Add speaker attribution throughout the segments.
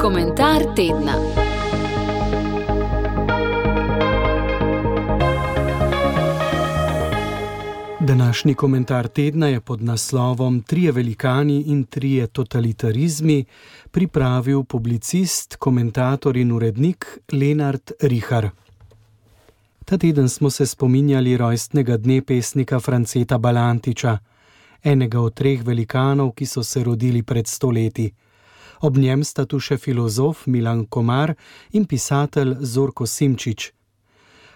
Speaker 1: Komentar tedna.
Speaker 2: Današnji komentar tedna je pod naslovom Trije velikani in trije totalitarizmi pripravil publicist, komentator in urednik Lenart Richar. Ta teden smo se spominjali rojstnega dne pesnika Franceta Balantiča, enega od treh velikanov, ki so se rodili pred 100 leti. Ob njem sta tu še filozof Milan Komar in pisatelj Zorko Simčič.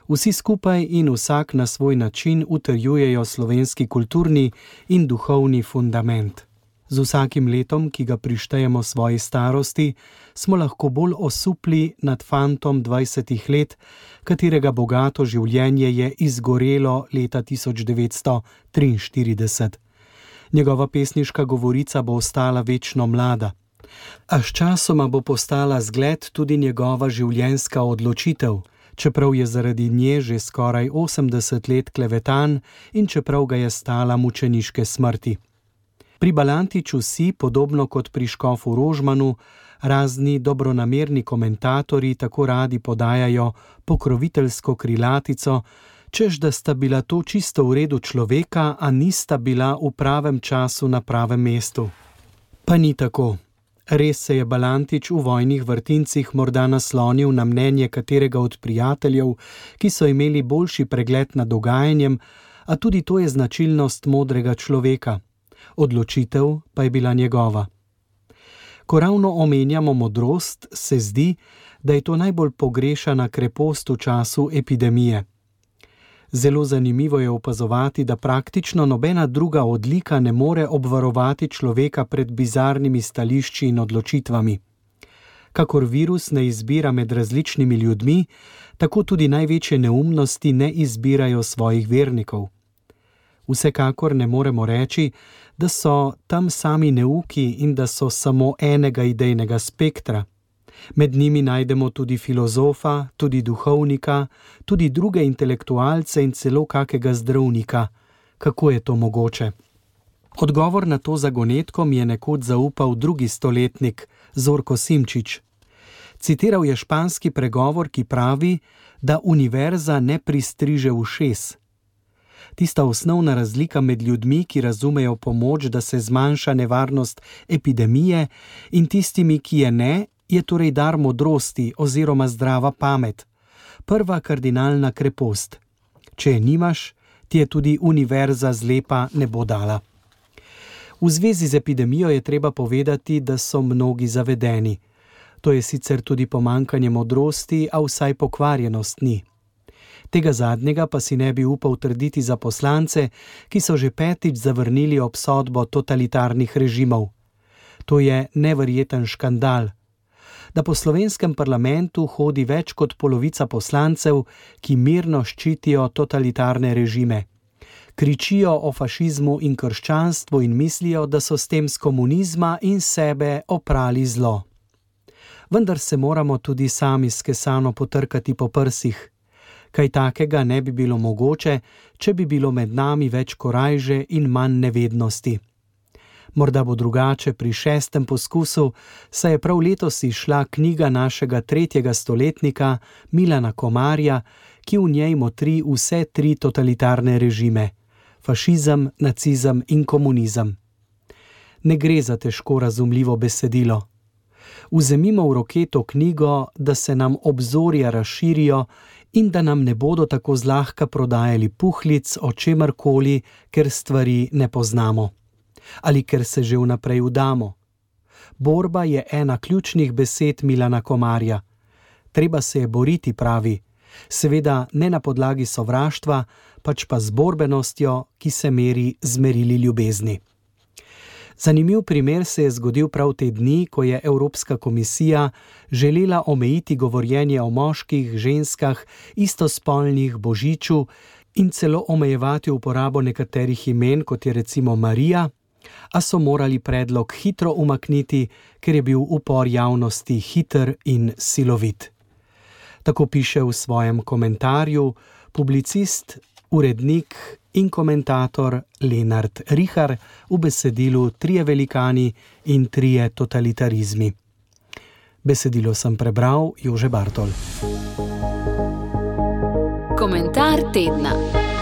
Speaker 2: Vsi skupaj in vsak na svoj način utrjujejo slovenski kulturni in duhovni fundament. Z vsakim letom, ki ga prištejemo svoji starosti, smo lahko bolj osupli nad fantom 20 let, katerega bogato življenje je izgorelo leta 1943. Njegova pesniška govorica bo ostala večno mlada. A sčasoma bo postala zgled tudi njegova življenjska odločitev, čeprav je zaradi nje že skoraj 80 let klevetan in čeprav ga je stala mučeniške smrti. Pri Balantiču si, podobno kot pri škofu Rožmanu, razni dobronamerni komentatorji tako radi podajajo pokroviteljsko krilatico, češ da sta bila to čisto v redu človeka, a nista bila v pravem času na pravem mestu. Pa ni tako. Res se je Balantič v vojnih vrtincih morda naslonil na mnenje katerega od prijateljev, ki so imeli boljši pregled nad dogajanjem, a tudi to je značilnost modrega človeka. Odločitev pa je bila njegova. Ko ravno omenjamo modrost, se zdi, da je to najbolj pogrešana krepost v času epidemije. Zelo zanimivo je opazovati, da praktično nobena druga odlika ne more obvarovati človeka pred bizarnimi stališči in odločitvami. Kakor virus ne izbira med različnimi ljudmi, tako tudi največje neumnosti ne izbirajo svojih vernikov. Vsekakor ne moremo reči, da so tam sami neuki in da so samo enega idejnega spektra. Med njimi najdemo tudi filozofa, tudi duhovnika, tudi druge intelektualce in celo kakega zdravnika. Kako je to mogoče? Odgovor na to zagonetko mi je nekoč zaupal drugi stoletnik, Zorko Simčič. Citiral je španski pregovor, ki pravi, da univerza ne pristriže ušes. Tista osnovna razlika med ljudmi, ki razumejo pomoč, da se zmanjša nevarnost epidemije, in tistimi, ki je ne, je torej dar modrosti oziroma zdrava pamet. Prva kardinalna krepost. Če je nimaš, ti je tudi univerza zlepa ne bo dala. V zvezi z epidemijo je treba povedati, da so mnogi zavedeni. To je sicer tudi pomanjkanje modrosti, a vsaj pokvarjenost ni. Tega zadnjega pa si ne bi upal trditi za poslance, ki so že 5. zavrnili obsodbo totalitarnih režimov. To je neverjeten škandal. Da po slovenskem parlamentu hodi več kot polovica poslancev, ki mirno ščitijo totalitarne režime. Kričijo o fašizmu in krščanstvu in mislijo, da so s tem z komunizma in sebe oprali zlo. Vendar se moramo tudi sami skesano potrkati po prsih. Kaj takega ne bi bilo mogoče, če bi bilo med nami več korajže in manj nevednosti. Morda bo drugače pri 6. poskusu, saj je prav letos izšla knjiga našega 3. stoletnika Milana Komarja, ki v njej motri vse 3 totalitarne režime: fašizem, nacizem in komunizem. Ne gre za težko razumljivo besedilo. Vzemimo v roke to knjigo, da se nam obzorja razširijo in da nam ne bodo tako zlahka prodajali puhlic o čemerkoli, ker stvari ne poznamo. Ali ker se že vnaprej vdamo. Borba je ena ključnih besed Milana Komarja. Treba se je boriti, pravi. Seveda ne na podlagi sovraštva, pač pa z borbenostjo, ki se meri z merili ljubezni. Zanimiv primer se je zgodil prav te dni, ko je Evropska komisija želela omejiti govorjenje o moških, ženskah, istospolnih, božiču in celo omejevati uporabo nekaterih imen, kot je recimo Marija, a so morali predlog hitro umakniti, ker je bil upor javnosti hiter in silovit. Tako piše v svojem komentarju publicist, urednik in komentator Lenart Rihar v besedilu Trije velikani in trije totalitarizmi. Besedilo sem prebral Jože Bartol.
Speaker 1: Komentar tedna.